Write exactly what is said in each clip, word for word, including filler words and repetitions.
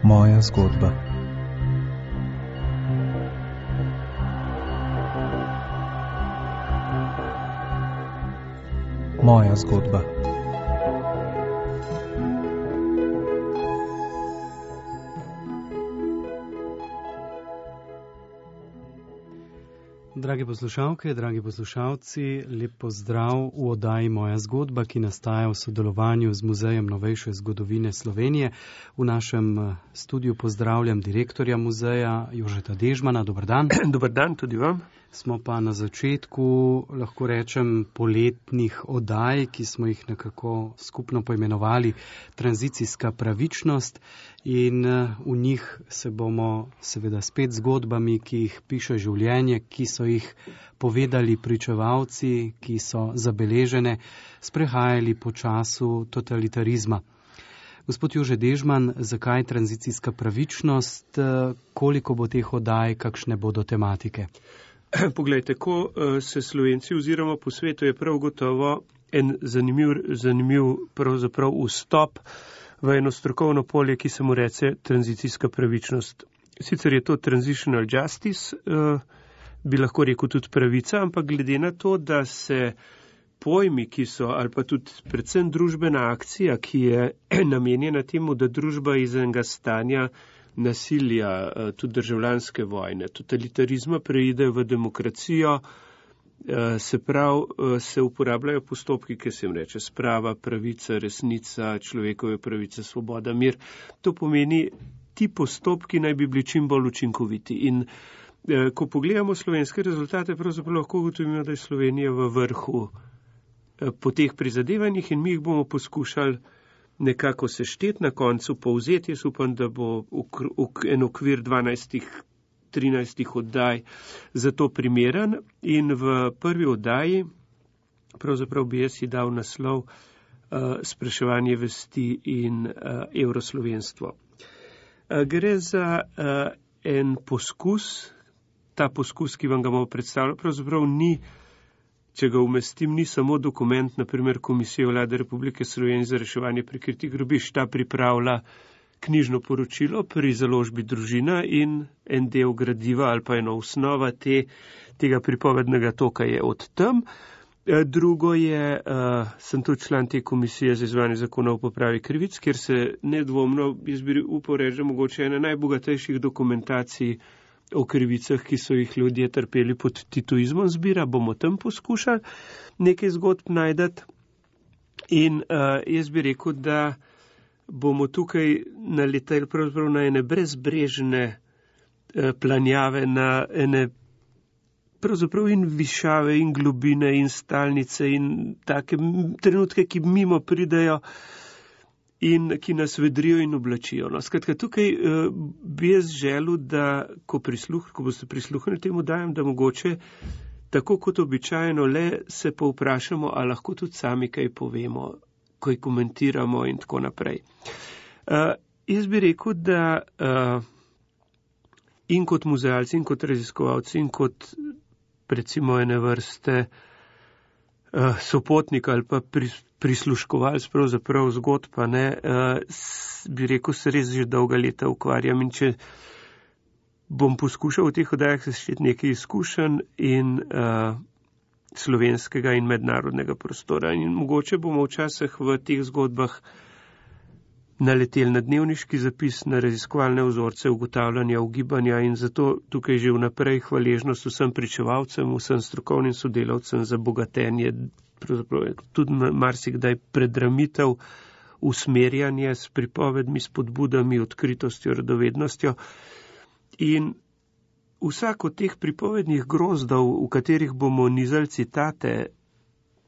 Moja zgodba. Moja zgodba. Drage poslušalke, dragi poslušalci, lep pozdrav v oddaji Moja zgodba, ki nastaja v sodelovanju z Muzejem novejše zgodovine Slovenije. V našem studiu pozdravljam direktorja muzeja Jožeta Dežmana. Dobar dan. Dobar dan tudi vam. Smo pa na začetku, lahko rečem, poletnih oddaj, ki smo jih nekako skupno poimenovali tranzicijska pravičnost, in v njih se bomo seveda spet zgodbami, ki jih piše življenje, ki so jih povedali pričevalci, ki so zabeležene, sprehajali po času totalitarizma. Gospod Jože Dežman, zakaj tranzicijska pravičnost, koliko bo teh oddaj, kakšne bodo tematike? Poglejte, ko se Slovenci oziroma po svetu je prav gotovo en zanimiv, zanimiv pravzaprav vstop v eno strokovno polje, ki se mu reče tranzicijska pravičnost. Sicer je to transitional justice, bi lahko rekel tudi pravica, ampak glede na to, da se pojmi, ki so, ali pa tudi predvsem družbena akcija, ki je namenjena temu, da družba iz enega stanja nasilja, tudi državljanske vojne, totalitarizma preide v demokracijo, se prav, se uporabljajo postopki, ki se jim reče sprava, pravica, resnica, človekove pravice, svoboda, mir. To pomeni, ti postopki naj bi bili čim bolj učinkoviti. In ko pogledamo slovenske rezultate, pravzaprav lahko ugotovimo, da je Slovenija v vrhu po teh prizadevanjih in mi jih bomo poskušali nekako sešteti na koncu, povzeti. Jaz upam, da bo en okvir dvanajstih, trinajstih oddaj za to primeren. In v prvi oddaji, pravzaprav bi jaz si dal naslov uh, Spraševanje vesti in uh, evroslovenstvo. Uh, gre za uh, en poskus, ta poskus, ki vam ga bomo predstavljali, pravzaprav ni, če ga umestim, ni samo dokument, naprimer Komisije Vlade Republike Slovenije za reševanje prikritih grobišč. Ta pripravlja knjižno poročilo pri založbi Družina in en del gradiva ali pa ena osnova te, tega pripovednega toka je od tam. Drugo je, uh, sem tudi član te komisije za izvajanje zakona o popravi krivic, kjer se nedvomno, jaz bi upal reči, mogoče ena najbogatejših dokumentacij o krivicah, ki so jih ljudje trpeli pod titoizmom, zbira, bomo tam poskušali nekaj zgodb najdati. In uh, jaz bi rekel, da bomo tukaj naleteli pravzaprav na ene brezbrežne uh, planjave, na ene pravzaprav in višave in globine in stalnice in take trenutke, ki mimo pridejo in ki nas vedrijo in oblačijo. No, skratka, tukaj uh, bi jaz želel, da ko, prisluh, ko boste prisluhnili temu dajem, da mogoče tako kot običajno le se pa vprašamo, a lahko tudi sami kaj povemo, ko jih komentiramo in tako naprej. Uh, jaz bi rekel, da uh, in kot muzealci, in kot raziskovalci, in kot recimo ene vrste uh, sopotnik ali pa pri, prisluškovalc pravzaprav zgodb, pa ne, uh, bi rekel, se res že dolga leta ukvarjam, in če bom poskušal v teh oddajah sešteti nekaj izkušenj in uh, slovenskega in mednarodnega prostora. In mogoče bomo včasih v teh zgodbah naleteli na dnevniški zapis, na raziskovalne vzorce, ugotavljanja, ugibanja, in zato tukaj že vnaprej hvaležnost vsem pričevalcem, vsem strokovnim sodelavcem za bogatenje, tudi marsikdaj predramitev, usmerjanje s pripovedmi, spodbudami, odkritostjo, radovednostjo. In vsak od teh pripovednih grozdov, v katerih bomo nizali citate,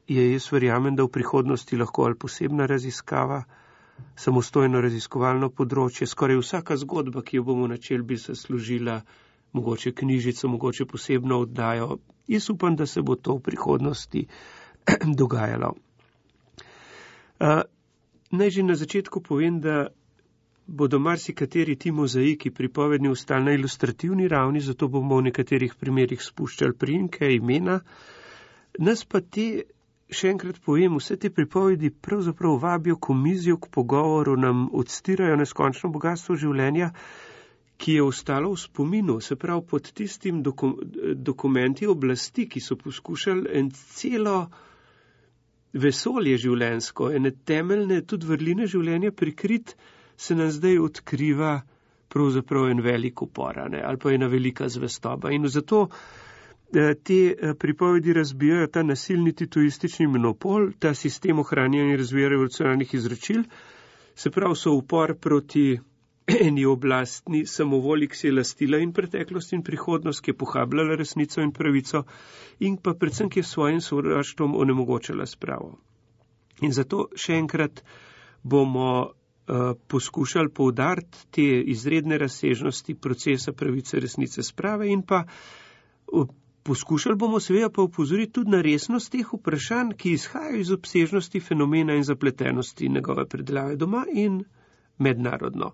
je, jaz verjamem, da v prihodnosti lahko ali posebna raziskava, samostojno raziskovalno področje. Skoraj vsaka zgodba, ki jo bomo načeli, bi se služila mogoče knjižico, mogoče posebno oddajo. Jaz upam, da se bo to v prihodnosti dogajalo. Uh, naj že na začetku povem, da bodo marsikateri ti mozaiki pripovedni ostali na ilustrativni ravni, zato bomo v nekaterih primerih spuščali priimke, imena. Nas pa te še enkrat povem, vse te pripovedi pravzaprav vabijo k mizijo, k pogovoru, nam odstirajo neskončno bogatstvo življenja, ki je ostalo v spominu, se pravi pod tistim doku, dokumenti oblasti, ki so poskušali en celo vesolje življenjsko, ene temeljne tudi vrline življenja prikrit, se nam zdaj odkriva pravzaprav en velik upor, ali pa ena velika zvestoba. In zato te pripovedi razbijajo ta nasilni titoistični monopol, ta sistem ohranjanja in razvija revolucionarnih izročil, se pravi so upor proti eni oblastni samovolji, ki si je lastila in preteklost in prihodnost, ki je pohabljala resnico in pravico in pa predvsem, ki je svojim sovraštvom onemogočala spravo. In zato še enkrat bomo uh, poskušali poudariti te izredne razsežnosti procesa pravice, resnice, sprave in pa uh, poskušali bomo seveda pa upozoriti tudi na resnost teh vprašanj, ki izhajajo iz obsežnosti fenomena in zapletenosti njegove predelave doma in mednarodno.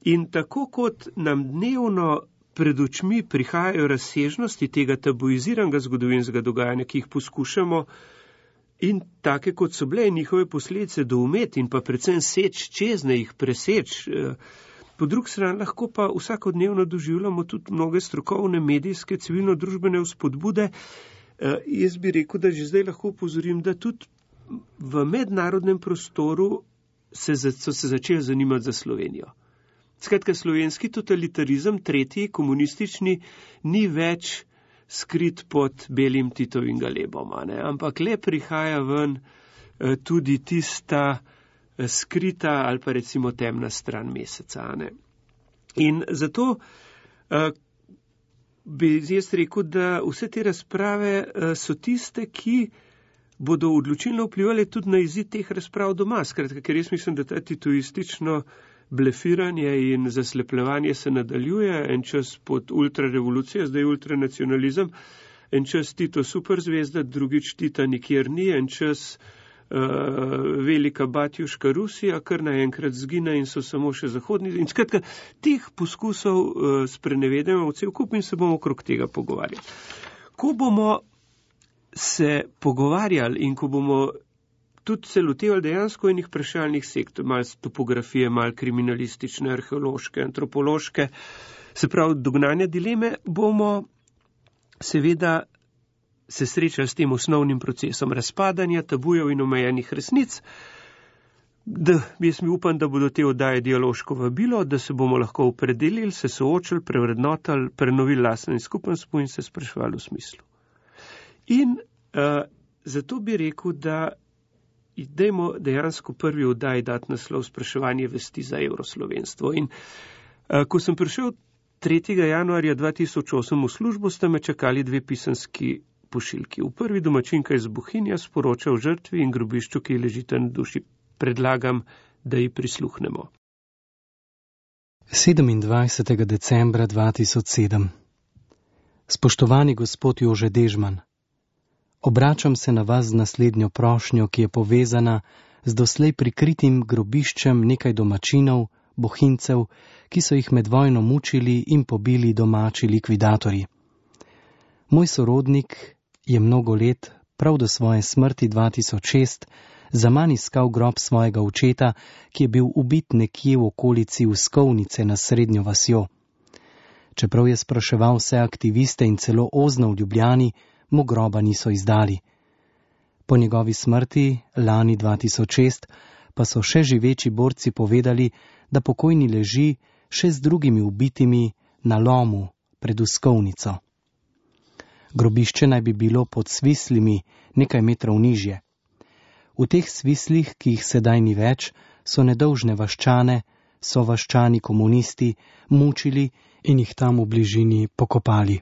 In tako kot nam dnevno pred očmi prihajajo razsežnosti tega tabuiziranega zgodovinskega dogajanja, ki jih poskušamo in take kot so bile njihove posledice doumeti in pa predvsem seč čezne jih preseč, po drugi strani lahko pa vsakodnevno doživljamo tudi mnoge strokovne, medijske, civilno-družbene vzpodbude. Jaz bi rekel, da že zdaj lahko upozorim, da tudi v mednarodnem prostoru se, so se začeli zanimati za Slovenijo. Skratka, slovenski totalitarizem, tretji, komunistični, ni več skrit pod belim Titovim galebom, ne? Ampak le prihaja ven tudi tista skrita ali pa recimo temna stran meseca. Ne? In zato uh, bi jaz rekel, da vse te razprave uh, so tiste, ki bodo odločilno vplivali tudi na izid teh razprav doma. Skratka, ker jaz mislim, da ta titoistično blefiranje in zaslepljevanje se nadaljuje, en čas pod ultrarevolucijo, zdaj ultranacionalizem, en čas Tito superzvezda, drugič Tita nikjer ni, en čas uh, velika batjuška Rusija, kar naenkrat zgine in so samo še zahodni. In skratka, teh poskusov uh, sprenevedamo v cel kup in se bomo okrog tega pogovarjali. Ko bomo se pogovarjali in ko bomo tudi se lotevali dejansko enih vprašalnih sektorov, malo topografije, malo kriminalistične, arheološke, antropološke, se pravi dognanja dileme, bomo seveda se srečali s tem osnovnim procesom razpadanja, tabujev in omejenih resnic, da jaz mi upam, da bodo te oddaje dialoško vabilo, da se bomo lahko opredelili, se soočili, prevrednotali, prenovili lastno in skupnost in se spraševali v smislu. In uh, zato bi rekel, da dajmo dejansko prvi oddaji dati naslov spraševanje vesti za evroslovenstvo. In uh, ko sem prišel tretjega januarja dva tisoč osem v službo, sta me čakali dve pisanski pošiljki. V prvi domačinka iz Bohinja sporoča o žrtvi in grobišču, ki ležite na duši. Predlagam, da ji prisluhnemo. sedemindvajsetega decembra dva tisoč sedem. Spoštovani gospod Jože Dežman, obračam se na vas z naslednjo prošnjo, ki je povezana z doslej prikritim grobiščem nekaj domačinov, bohincev, ki so jih med vojno mučili in pobili domači likvidatorji. Moj sorodnik je mnogo let, prav do svoje smrti dva tisoč šest, zaman iskal grob svojega očeta, ki je bil ubit nekje v okolici Uskovnice na Srednjo vasjo. Čeprav je spraševal vse aktiviste in celo ozno v Ljubljani, mu groba niso izdali. Po njegovi smrti, lani dva tisoč šest, pa so še živeči borci povedali, da pokojni leži še z drugimi ubitimi na lomu pred Uskovnico. Grobišče naj bi bilo pod Svislimi nekaj metrov nižje. V teh Svislih, ki jih sedaj ni več, so nedolžne vaščane, so vaščani komunisti mučili in jih tam v bližini pokopali.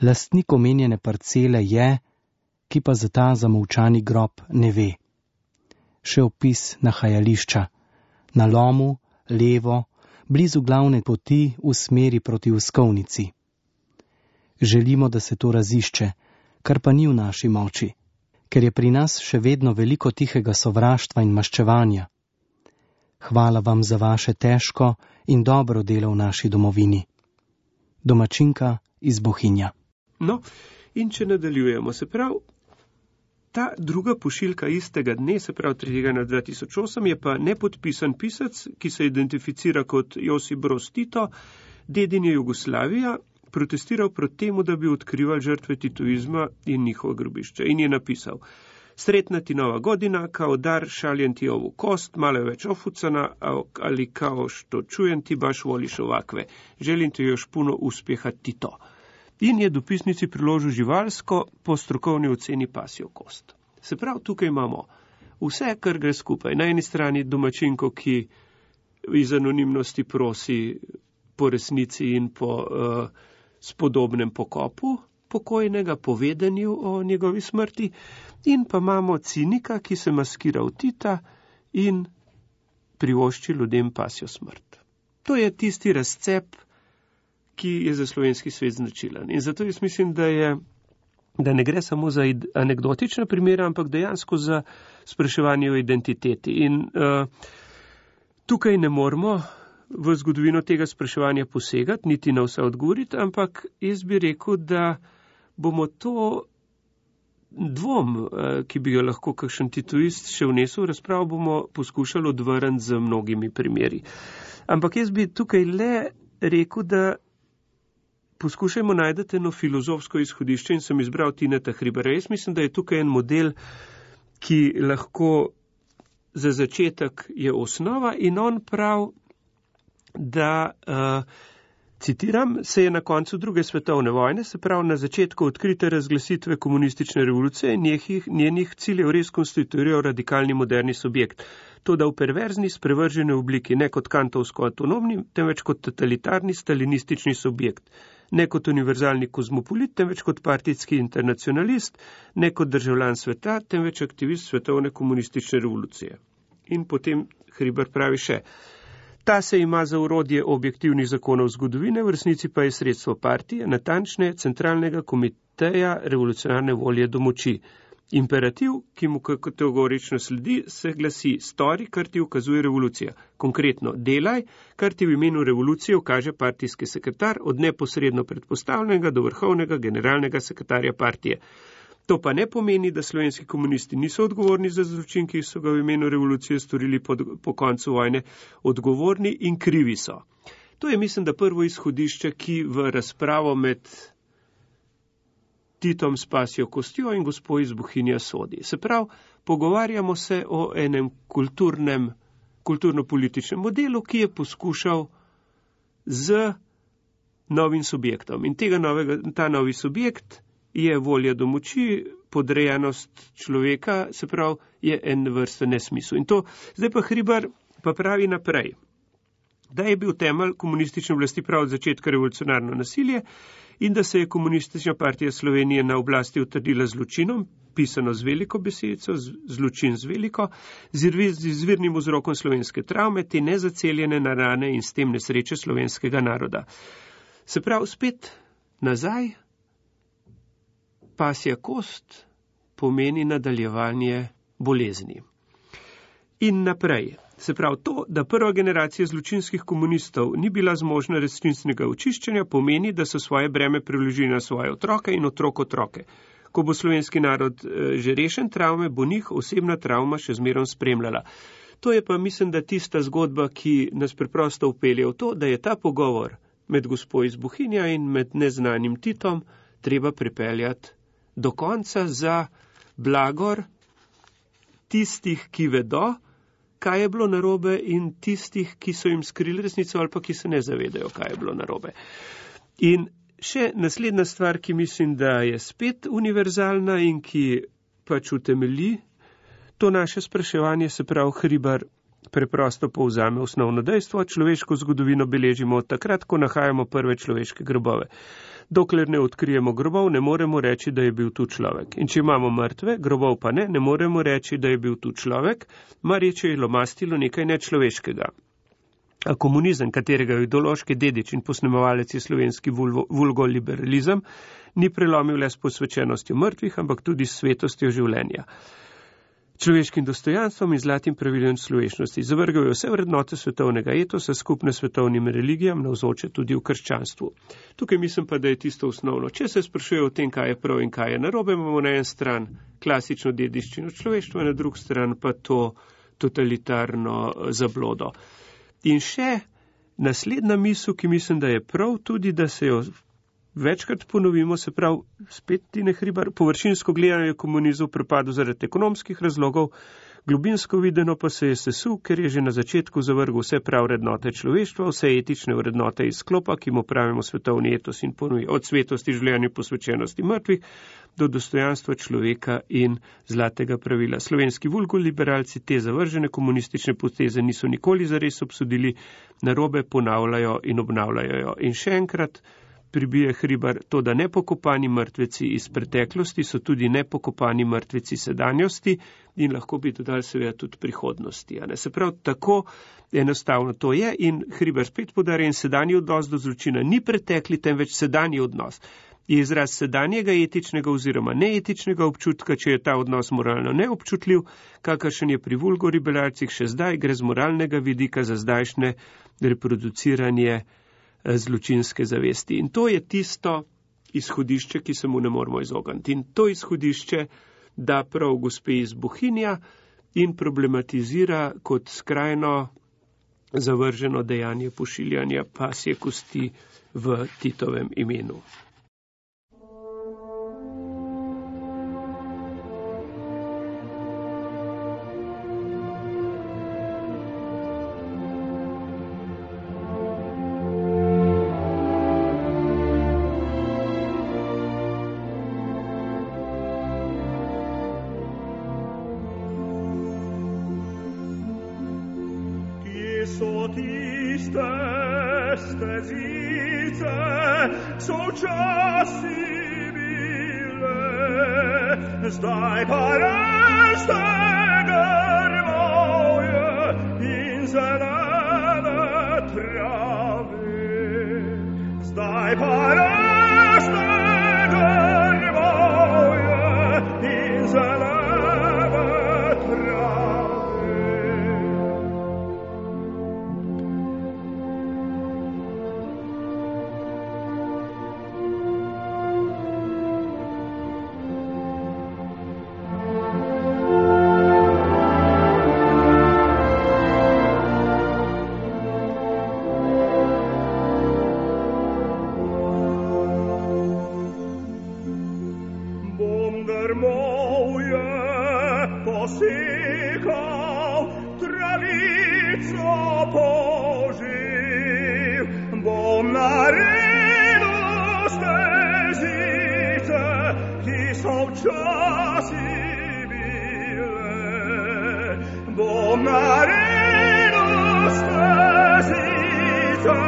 Lastnik omenjene parcele je, ki pa za ta zamolčani grob ne ve. Še opis nahajališča. Na lomu, levo, blizu glavne poti v smeri proti Uskovnici. Želimo, da se to razišče, kar pa ni v naši moči, ker je pri nas še vedno veliko tihega sovraštva in maščevanja. Hvala vam za vaše težko in dobro delo v naši domovini. Domačinka iz Bohinja. No, in če nadaljujemo, se pravi, Ta druga pošiljka istega dne, se pravi tretjega na dva tisoč osem, je pa nepodpisan pisec, ki se identificira kot Josip Broz Tito, dedin je Jugoslavija, protestiral proti temu, da bi odkrivali žrtve titoizma in njihova grobišča. In je napisal: Sretna ti nova godina, kao dar šaljem ti ovu kost, malo več ofucana, ali kao što čujem ti baš voliš ovakve. Želim ti još puno uspjeha, Tito. In je dopisnici priložil živalsko po strokovni oceni pasjo kost. Se pravi, tukaj imamo vse, kar gre skupaj. Na eni strani domačinko, ki iz anonimnosti prosi po resnici in po uh, spodobnem pokopu pokojnega, povedanju o njegovi smrti, in pa imamo cinika, ki se maskira v Tita in privošči ljudem pasjo smrt. To je tisti razcep, ki je za slovenski svet značilen. In zato jaz mislim, da, je, da ne gre samo za anekdotične primere, ampak dejansko za spraševanje o identiteti. In uh, tukaj ne moramo v zgodovino tega spraševanja posegati, niti na vse odgovoriti, ampak jaz bi rekel, da bomo to dvom, ki bi ga lahko kakšen titoist še vnesel v razpravo, bomo poskušali odvrniti z mnogimi primeri. Ampak jaz bi tukaj le rekel, da poskušajmo najti eno filozofsko izhodišče in sem izbral Tineta Hribara. Jaz mislim, da je tukaj en model, ki lahko za začetek je osnova, in on prav, da, uh, citiram, se je na koncu druge svetovne vojne, se pravi na začetku odkrite razglasitve komunistične revolucije in njenih, njenih ciljev res konstituirajo radikalni moderni subjekt. To, da v perverzni, sprevržene obliki, ne kot kantovsko avtonomni, temveč kot totalitarni stalinistični subjekt, ne kot univerzalni kozmopolit, temveč kot partijski internacionalist, ne kot državljan sveta, temveč aktivist svetovne komunistične revolucije. In potem Hribar pravi še: Ta se ima za orodje objektivnih zakonov zgodovine, v resnici pa je sredstvo partije, natančne centralnega komiteja revolucionarne volje do moči. Imperativ, ki mu kategorično sledi, se glasi: stori, kar ti ukazuje revolucija. Konkretno, delaj, kar ti v imenu revolucije ukaže partijski sekretar, od neposredno predpostavljenega do vrhovnega generalnega sekretarja partije. To pa ne pomeni, da slovenski komunisti niso odgovorni za zločin, ki so ga v imenu revolucije storili pod, po koncu vojne, odgovorni in krivi so. To je, mislim, da prvo izhodišče, ki v razpravo med Titom s pasjo kostjo in gospo iz Bohinja sodi. Se pravi, pogovarjamo se o enem kulturnem, kulturno-političnem modelu, ki je poskušal z novim subjektom. In tega novega, ta novi subjekt je volja do moči, podrejenost človeka, se pravi, je en vrsta nesmisel. In to, zdaj pa Hribar pa pravi naprej, da je bil temelj komunistične oblasti prav od začetka revolucionarno nasilje in da se je komunistična partija Slovenije na oblasti utrdila zločinom, pisano z veliko besedico, zločin z veliko, z izvirnim vzrokom slovenske travme, te nezaceljene na rane in s tem nesreče slovenskega naroda. Se pravi, spet nazaj, pasja kost pomeni nadaljevanje bolezni. In naprej. Se pravi, to, da prva generacija zločinskih komunistov ni bila zmožna resničnega očiščenja, pomeni, da so svoje breme preložili na svoje otroke in otrok otroke. Ko bo slovenski narod e, že rešen travme, bo njih osebna travma še zmerom spremljala. To je pa, mislim, da tista zgodba, ki nas preprosto upelje v to, da je ta pogovor med gospo iz Bohinja in med neznanim Titom treba pripeljati do konca za blagor tistih, ki vedo, kaj je bilo narobe, in tistih, ki so jim skrili resnico ali pa ki se ne zavedajo, kaj je bilo narobe. In še naslednja stvar, ki mislim, da je spet univerzalna in ki pač utemelji to naše spraševanje, se pravi, Hribar preprosto povzame osnovno dejstvo: človeško zgodovino beležimo od takrat, ko nahajamo prve človeške grobove. Dokler ne odkrijemo grobov, ne moremo reči, da je bil tu človek. In če imamo mrtve, grobov pa ne, ne moremo reči, da je bil tu človek, marječe je lomastilo nekaj nečloveškega. A komunizem, katerega ideološki dedič in posnemovalec je slovenski vulgoliberalizem, ni prelomil le s posvečenostjo mrtvih, ampak tudi s svetostjo življenja, človeškim dostojanstvom in zlatim pravilom človečnosti. Zavrgal je vse vrednote svetovnega etosa, skupne svetovnim religijam, navzoče tudi v krščanstvu. Tukaj mislim pa, da je tisto osnovno. Če se sprašuje o tem, kaj je prav in kaj je narobe, imamo na en stran klasično dediščino človeštva, na drugi strani pa to totalitarno zablodo. In še naslednja misel, ki mislim, da je prav tudi, da se jo večkrat ponovimo, se pravi, spet Tine Hribar, površinsko gledanje je komunizem propadel zaradi ekonomskih razlogov, globinsko videno pa se je sesul, ker je že na začetku zavrgel vse prav vrednote človeštva, vse etične vrednote iz sklopa, ki mu pravimo svetovni etos in ponuja od svetosti življenju posvečenosti mrtvih do dostojanstva človeka in zlatega pravila. Slovenski vulgoliberalci te zavržene komunistične poteze niso nikoli zares obsodili, narobe ponavljajo in obnavljajo. In še enkrat pribije Hribar to, da nepokopani mrtveci iz preteklosti so tudi nepokopani mrtveci sedanjosti in lahko bi dodali seveda tudi prihodnosti. A ne? Se pravi, tako enostavno to je in Hribar spet podarja, in sedanji odnos do zločina ni pretekli, temveč sedanji odnos. Je izraz sedanjega etičnega oziroma neetičnega občutka, če je ta odnos moralno neobčutljiv, kakršen je pri vulgoliberalcih še zdaj, gre z moralnega vidika za zdajšnje reproduciranje zločinske zavesti. In to je tisto izhodišče, ki se mu ne moramo izogniti. In to izhodišče da prav gospe iz Bohinja in problematizira kot skrajno zavrženo dejanje pošiljanja pasje kosti v Titovem imenu. So tiste stezice, so časi bile, zdaj pa raste grmovje in zelene trave. Zdaj pa raste grmovje in zelene trave. Posikal, travico poživ, bom naredil stezice, ki so včasih bile. Bom naredil stezice,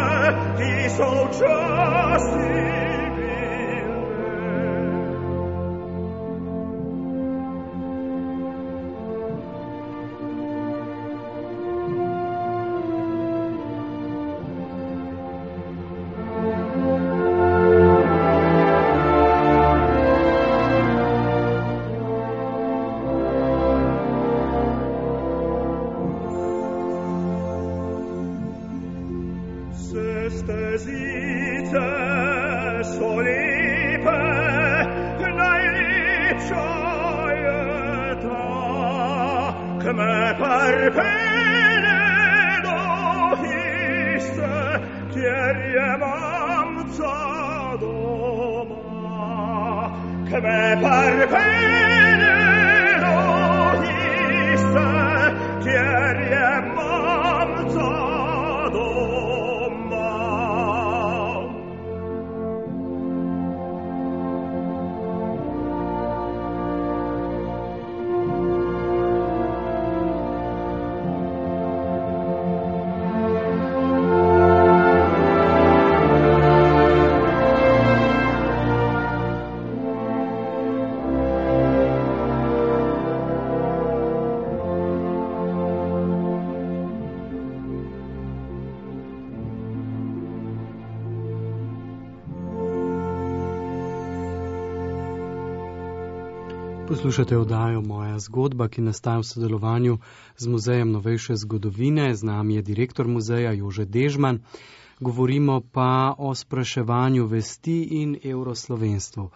ki so včasih stezice so lepe, najlepša je ta, ki me pripelje do hiše, kjer je mamca doma. Ki me pripelje do hiše, kjer je mamca doma. Poslušate oddajo Moja zgodba, ki nastaja v sodelovanju z Muzejem novejše zgodovine. Z nami je direktor muzeja Jože Dežman. Govorimo pa o spraševanju vesti in evroslovenstvu.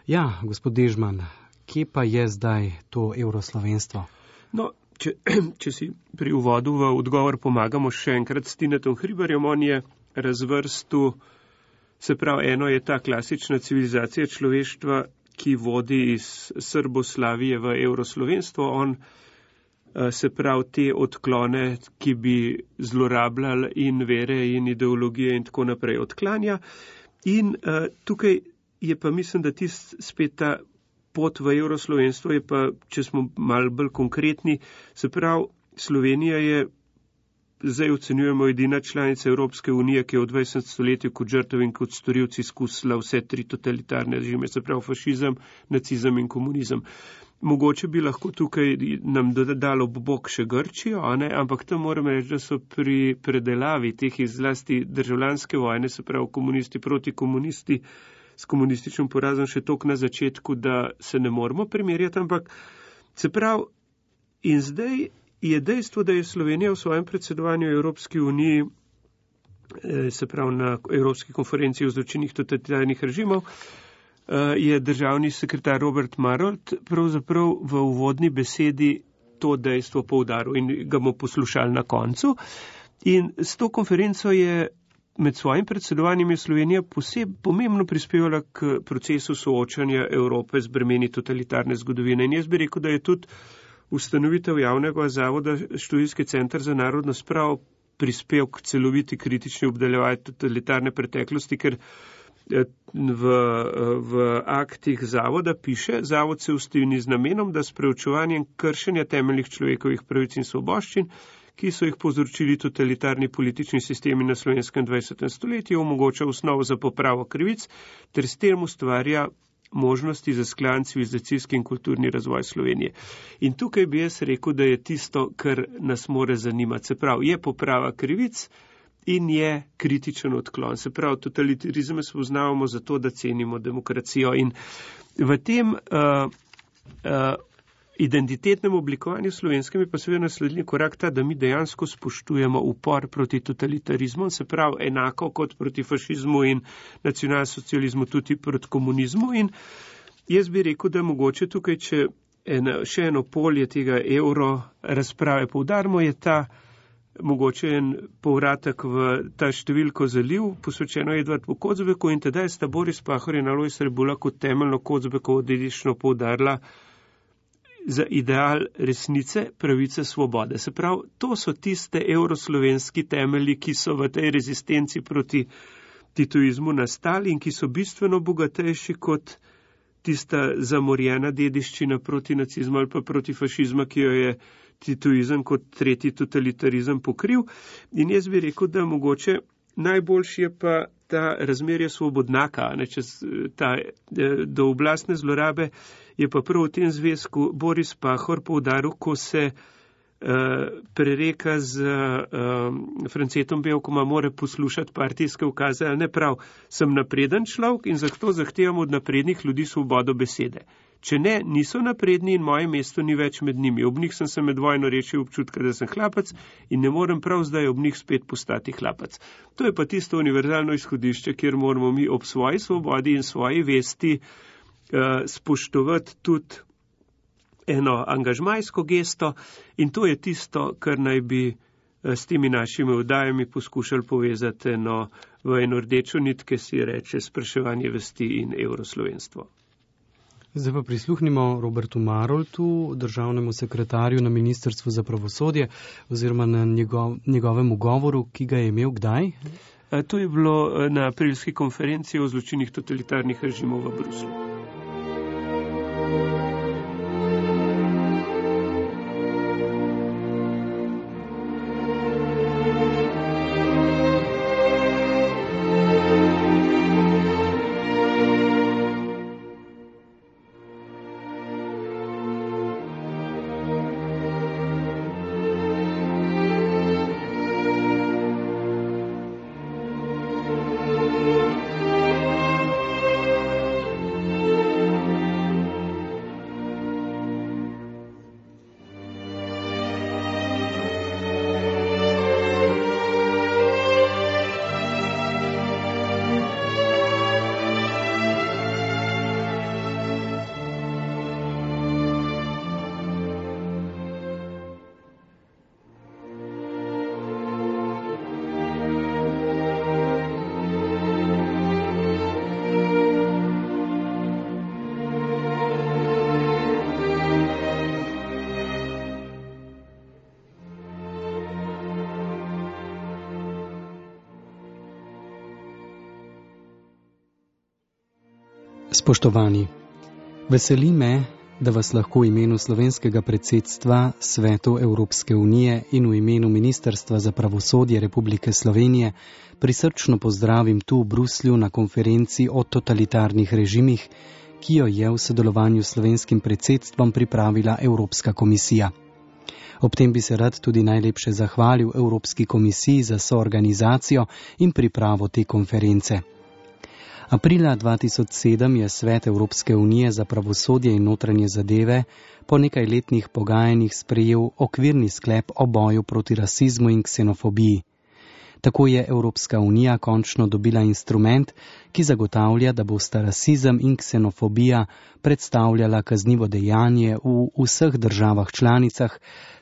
Ja, gospod Dežman, Kje pa je zdaj to evroslovenstvo? No, če, če si pri uvodu v odgovor pomagamo še enkrat s Tinetom Hribarjem, on je razvrstil, se pravi, eno je ta klasična civilizacija človeštva, ki vodi iz Srboslavije v evroslovenstvo, on se pravi te odklone, ki bi zlorabljali in vere in ideologije in tako naprej odklanja. In uh, tukaj je pa mislim, da tist spet ta pot v evroslovenstvo je pa, če smo malo bolj konkretni, se pravi, Slovenija je, zdaj ocenjujemo, edina članica Evropske unije, ki je v dvajsetem stoletju kot žrtev in kot storilci izkusila vse tri totalitarne režime, se pravi fašizem, nacizem in komunizem. Mogoče bi lahko tukaj nam dodalo bok še Grčijo, a ne? Ampak tam moram reči, da so pri predelavi teh izlasti državljanske vojne, se pravi komunisti proti komunisti, s komunističnim porazom še toliko na začetku, da se ne moramo primerjati, ampak se pravi, in zdaj je dejstvo, da je Slovenija v svojem predsedovanju Evropski uniji, se pravi na Evropski konferenciji o zločinih totalitarnih režimov, je državni sekretar Robert Marolt pravzaprav v uvodni besedi to dejstvo poudaril in ga bomo poslušali na koncu. In s to konferenco je med svojim predsedovanjem je Slovenija posebej pomembno prispevala k procesu soočanja Evrope z bremeni totalitarne zgodovine. In jaz bi rekel, da je tudi ustanovitev javnega zavoda Študijski center za narodno spravo prispel k celoviti kritični obdeljevanju totalitarne preteklosti, ker v, v aktih zavoda piše, zavod se ustanovi z namenom, da s preučevanjem kršenja temeljnih človekovih pravic in svoboščin, ki so jih povzročili totalitarni politični sistemi na slovenskem dvajsetem stoletju, omogoča osnovo za popravo krivic, ter s tem ustvarja možnosti za skladen civilizacijski in kulturni razvoj Slovenije. In tukaj bi jaz rekel, da je tisto, kar nas more zanimati. Se pravi, je poprava krivic in je kritičen odklon. Se pravi, totalitarizem spoznavamo zato, da cenimo demokracijo. In v tem uh, uh, identitetnem oblikovanju slovenskem je pa seveda naslednji korak ta, da mi dejansko spoštujemo upor proti totalitarizmu, se pravi enako kot proti fašizmu in nacionalsocializmu, tudi proti komunizmu. In jaz bi rekel, da mogoče tukaj, če ena, še eno polje tega evro razprave poudarimo, je ta mogoče en povratek v ta številko zaliv, posvečeno Edvardu Kocbeku, in tedaj sta Boris Pahor in Alojz Rebula kot temeljno Kocbekovo dediščino poudarila za ideal resnice, pravice, svobode. Se pravi, to so tiste evroslovenski temelji, ki so v tej rezistenci proti titoizmu nastali in ki so bistveno bogatejši kot tista zamorjena dediščina proti nacizmu ali pa proti fašizmu, ki jo je titoizem kot tretji totalitarizem pokril. In jaz bi rekel, da mogoče najboljši je pa ta razmerje svobodnaka, ne, čez ta do oblastne zlorabe, je pa prav v tem zvezku Boris Pahor poudaril, ko se uh, prereka z uh, Francetom Bevkoma, mora poslušati partijske ukaze, ali ne prav, sem napreden človek in zato zahtevam od naprednih ljudi svobodo besede. Če ne, niso napredni in moje mesto ni več med njimi. Ob njih sem se med vojno rešil občutka, da sem hlapac in ne morem prav zdaj ob njih spet postati hlapac. To je pa tisto univerzalno izhodišče, kjer moramo mi ob svoji svobodi in svoji vesti uh, spoštovati tudi eno angažmajsko gesto in to je tisto, kar naj bi uh, s temi našimi oddajami poskušali povezati eno, v eno rdečo nit, ki si reče spraševanje vesti in evroslovenstvo. Zdaj pa prisluhnimo Robertu Maroltu, državnemu sekretarju na Ministrstvu za pravosodje, oziroma na njegov, njegovemu govoru, ki ga je imel kdaj? To je bilo na aprilski konferenciji o zločinih totalitarnih režimov v Bruslju. Spoštovani, veseli me, da vas lahko v imenu slovenskega predsedstva Svetu Evropske unije in v imenu Ministrstva za pravosodje Republike Slovenije prisrčno pozdravim tu v Bruslju na konferenci o totalitarnih režimih, ki jo je v sodelovanju s slovenskim predsedstvom pripravila Evropska komisija. Ob tem bi se rad tudi najlepše zahvalil Evropski komisiji za soorganizacijo in pripravo te konference. Aprila dva tisoč sedem je Svet Evropske unije za pravosodje in notranje zadeve po nekaj letnih pogajanjih sprejel okvirni sklep o boju proti rasizmu in ksenofobiji. Tako je Evropska unija končno dobila instrument, ki zagotavlja, da bosta rasizem in ksenofobija predstavljala kaznivo dejanje v vseh državah članicah,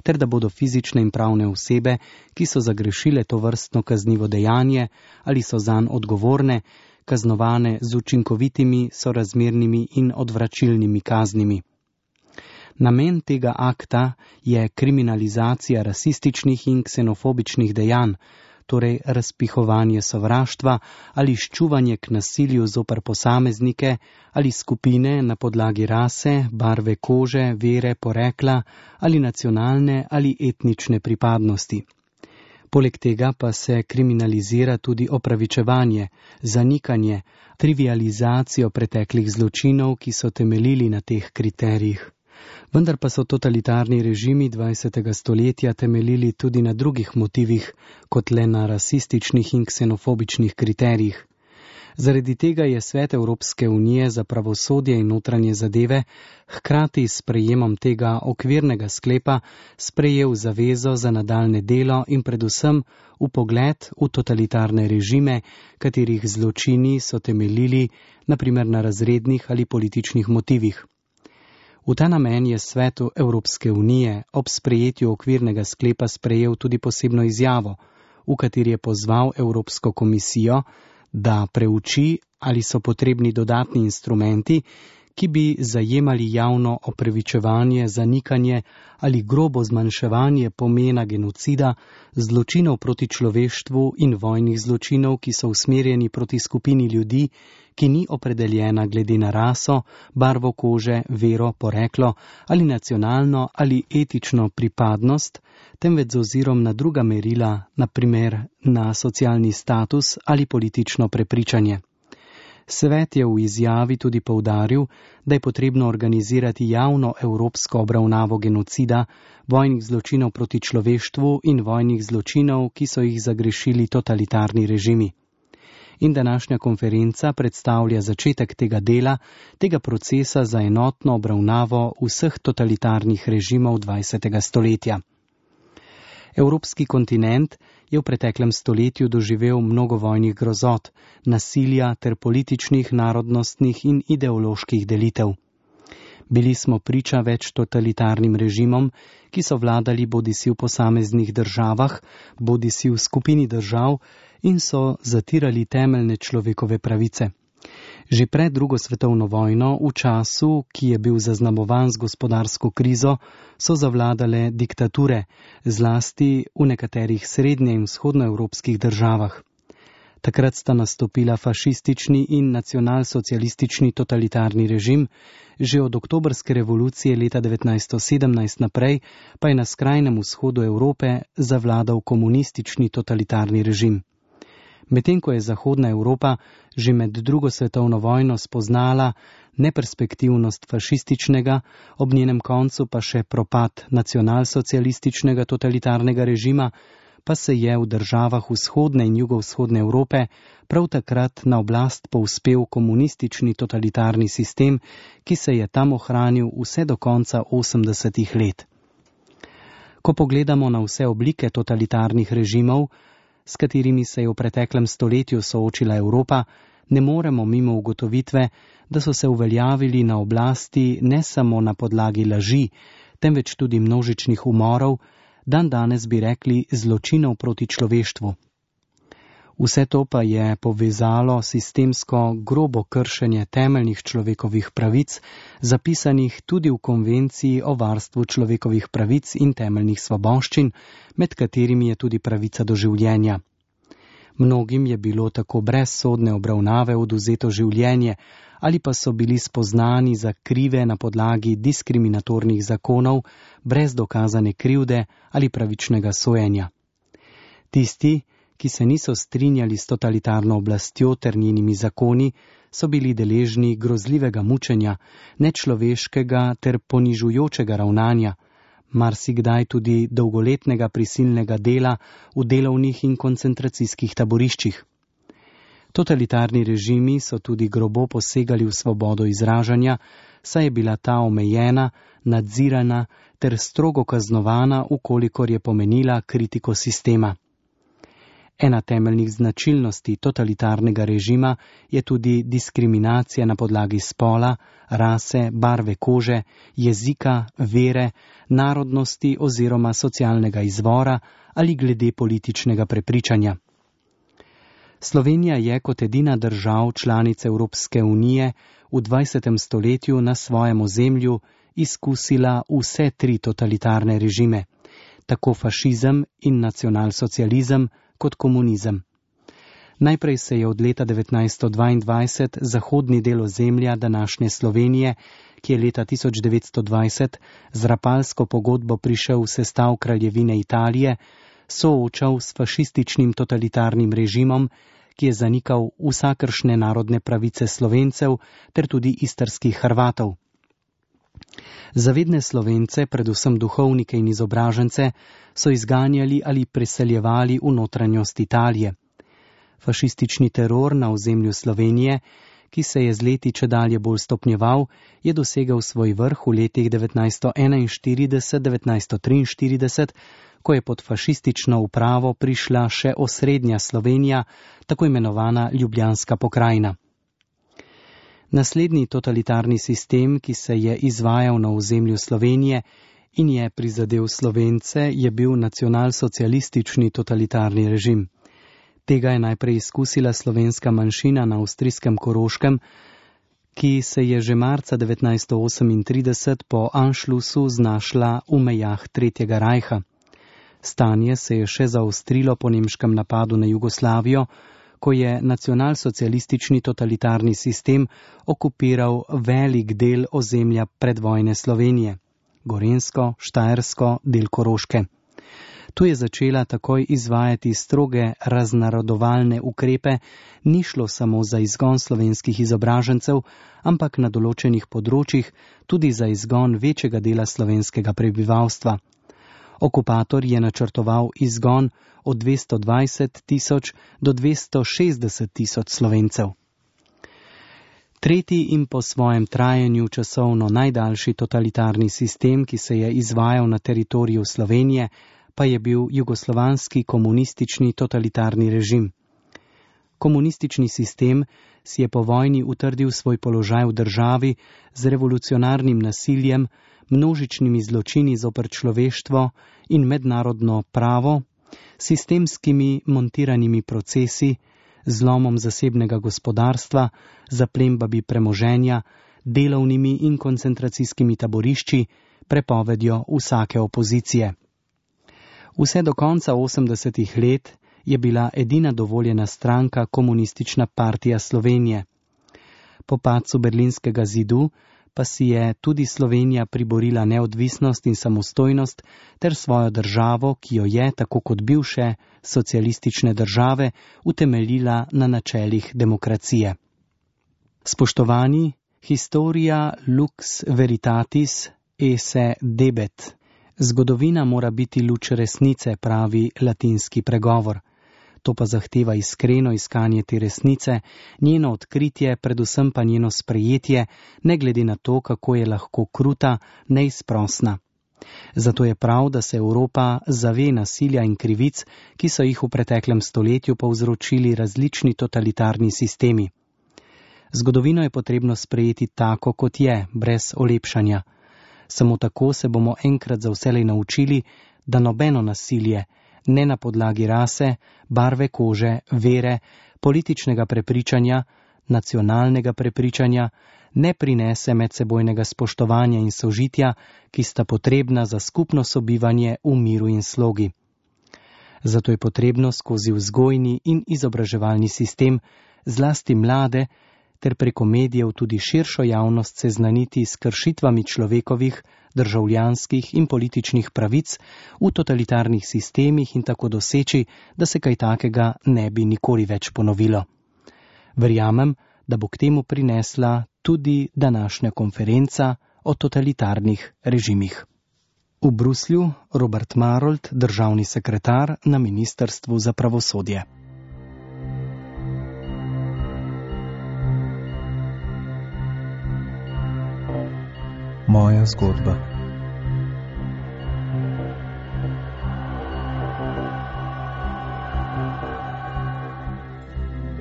ter da bodo fizične in pravne osebe, ki so zagrešile to vrstno kaznivo dejanje ali so zanj odgovorne, kaznovane z učinkovitimi, sorazmernimi in odvračilnimi kaznimi. Namen tega akta je kriminalizacija rasističnih in ksenofobičnih dejanj, torej razpihovanje sovraštva ali ščuvanje k nasilju zoper posameznike ali skupine na podlagi rase, barve kože, vere, porekla ali nacionalne ali etnične pripadnosti. Poleg tega pa se kriminalizira tudi opravičevanje, zanikanje, trivializacijo preteklih zločinov, ki so temeljili na teh kriterijih. Vendar pa so totalitarni režimi dvajsetega stoletja temeljili tudi na drugih motivih, kot le na rasističnih in ksenofobičnih kriterijih. Zaradi tega je Svet Evropske unije za pravosodje in notranje zadeve hkrati s sprejemom tega okvirnega sklepa sprejel zavezo za nadaljne delo in predvsem vpogled v totalitarne režime, katerih zločini so temeljili na primer na razrednih ali političnih motivih. V ta namen je Svet Evropske unije ob sprejetju okvirnega sklepa sprejel tudi posebno izjavo, v kateri je pozval Evropsko komisijo, da preuči, ali so potrebni dodatni instrumenti, ki bi zajemali javno opravičevanje, zanikanje ali grobo zmanjševanje pomena genocida, zločinov proti človeštvu in vojnih zločinov, ki so usmerjeni proti skupini ljudi, ki ni opredeljena glede na raso, barvo kože, vero, poreklo ali nacionalno ali etično pripadnost, temveč z ozirom na druga merila, na primer na socialni status ali politično prepričanje. Svet je v izjavi tudi poudaril, da je potrebno organizirati javno evropsko obravnavo genocida, vojnih zločinov proti človeštvu in vojnih zločinov, ki so jih zagrešili totalitarni režimi. In današnja konferenca predstavlja začetek tega dela, tega procesa za enotno obravnavo vseh totalitarnih režimov dvajsetega stoletja. Evropski kontinent je v preteklem stoletju doživel mnogo vojnih grozot, nasilja ter političnih, narodnostnih in ideoloških delitev. Bili smo priča več totalitarnim režimom, ki so vladali bodisi v posameznih državah, bodisi v skupini držav in so zatirali temeljne človekove pravice. Že pred drugo svetovno vojno, v času, ki je bil zaznamovan z gospodarsko krizo, so zavladale diktature, zlasti v nekaterih srednje- in vzhodnoevropskih državah. Takrat sta nastopila fašistični in nacionalsocialistični totalitarni režim, že od oktobrske revolucije leta devetnajststo sedemnajst naprej pa je na skrajnem vzhodu Evrope zavladal komunistični totalitarni režim. Medtem ko je Zahodna Evropa že med drugo svetovno vojno spoznala neperspektivnost fašističnega, ob njenem koncu pa še propad nacionalsocialističnega totalitarnega režima, pa se je v državah vzhodne in jugovzhodne Evrope prav takrat na oblast povzpel komunistični totalitarni sistem, ki se je tam ohranil vse do konca osemdesetih let. Ko pogledamo na vse oblike totalitarnih režimov, s katerimi se je v preteklem stoletju soočila Evropa, ne moremo mimo ugotovitve, da so se uveljavili na oblasti ne samo na podlagi laži, temveč tudi množičnih umorov, dan danes bi rekli zločinov proti človeštvu. Vse to pa je povezalo sistemsko grobo kršenje temeljnih človekovih pravic, zapisanih tudi v Konvenciji o varstvu človekovih pravic in temeljnih svoboščin, med katerimi je tudi pravica do življenja. Mnogim je bilo tako brez sodne obravnave oduzeto življenje ali pa so bili spoznani za krive na podlagi diskriminatornih zakonov brez dokazane krivde ali pravičnega sojenja. Tisti, ki se niso strinjali s totalitarno oblastjo ter njenimi zakoni, so bili deležni grozljivega mučenja, nečloveškega ter ponižujočega ravnanja, marsikdaj tudi dolgoletnega prisilnega dela v delovnih in koncentracijskih taboriščih. Totalitarni režimi so tudi grobo posegali v svobodo izražanja, saj je bila ta omejena, nadzirana ter strogo kaznovana, ukolikor je pomenila kritiko sistema. Ena temeljnih značilnosti totalitarnega režima je tudi diskriminacija na podlagi spola, rase, barve kože, jezika, vere, narodnosti oziroma socialnega izvora ali glede političnega prepričanja. Slovenija je kot edina držav članica Evropske unije v dvajsetem stoletju na svojem ozemlju izkusila vse tri totalitarne režime, tako fašizem in nacionalsocializem kot komunizem. Najprej se je od leta devetnajststo dvaindvajset zahodni del ozemlja današnje Slovenije, ki je leta tisoč devetsto dvajset z Rapalsko pogodbo prišel v sestav kraljevine Italije, soočal s fašističnim totalitarnim režimom, ki je zanikal vsakršne narodne pravice Slovencev ter tudi istrskih Hrvatov. Zavedne Slovence, predvsem duhovnike in izobražence, so izganjali ali preseljevali v notranjost Italije. Fašistični teror na ozemlju Slovenije, ki se je z leti čedalje bolj stopnjeval, je dosegal svoj vrh v letih devetnajststo enainštirideset do devetnajststo triinštirideset, ko je pod fašistično upravo prišla še osrednja Slovenija, tako imenovana Ljubljanska pokrajina. Naslednji totalitarni sistem, ki se je izvajal na ozemlju Slovenije in je prizadel Slovence, je bil nacionalsocialistični totalitarni režim. Tega je najprej izkusila slovenska manjšina na avstrijskem Koroškem, ki se je že marca devetnajststo osemintrideset po Anšlusu znašla v mejah Tretjega rajha. Stanje se je še zaostrilo po nemškem napadu na Jugoslavijo, ko je nacionalsocialistični totalitarni sistem okupiral velik del ozemlja predvojne Slovenije, Gorenjsko, Štajersko, del Koroške. Tu je začela takoj izvajati stroge raznarodovalne ukrepe, ni šlo samo za izgon slovenskih izobražencev, ampak na določenih področjih tudi za izgon večjega dela slovenskega prebivalstva. Okupator je načrtoval izgon od dvesto dvajset tisoč do dvesto šestdeset tisoč Slovencev. Tretji in po svojem trajanju časovno najdaljši totalitarni sistem, ki se je izvajal na teritoriju Slovenije, pa je bil jugoslovanski komunistični totalitarni režim. Komunistični sistem si je po vojni utrdil svoj položaj v državi z revolucionarnim nasiljem, množičnimi zločini zoper človeštvo in mednarodno pravo, sistemskimi montiranimi procesi, zlomom zasebnega gospodarstva, zaplembami premoženja, delovnimi in koncentracijskimi taborišči, prepovedjo vsake opozicije. Vse do konca osemdesetih let je bila edina dovoljena stranka Komunistična partija Slovenije. Po padcu Berlinskega zidu pa si je tudi Slovenija priborila neodvisnost in samostojnost ter svojo državo, ki jo je, tako kot bivše socialistične države, utemeljila na načelih demokracije. Spoštovani, historia lux veritatis esse debet. Zgodovina mora biti luč resnice, pravi latinski pregovor. To pa zahteva iskreno iskanje te resnice, njeno odkritje, predvsem pa njeno sprejetje, ne glede na to, kako je lahko kruta, neizprosna. Zato je prav, da se Evropa zave nasilja in krivic, ki so jih v preteklem stoletju povzročili različni totalitarni sistemi. Zgodovino je potrebno sprejeti tako, kot je, brez olepšanja. Samo tako se bomo enkrat za vselej naučili, da nobeno nasilje, ne na podlagi rase, barve kože, vere, političnega prepričanja, nacionalnega prepričanja, ne prinese medsebojnega spoštovanja in sožitja, ki sta potrebna za skupno sobivanje v miru in slogi. Zato je potrebno skozi vzgojni in izobraževalni sistem zlasti mlade ter preko medijev tudi širšo javnost seznaniti s kršitvami človekovih, državljanskih in političnih pravic v totalitarnih sistemih in tako doseči, da se kaj takega ne bi nikoli več ponovilo. Verjamem, da bo k temu prinesla tudi današnja konferenca o totalitarnih režimih. V Bruslju Robert Marolt, državni sekretar na Ministrstvu za pravosodje. Moja zgodba.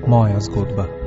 Moja zgodba.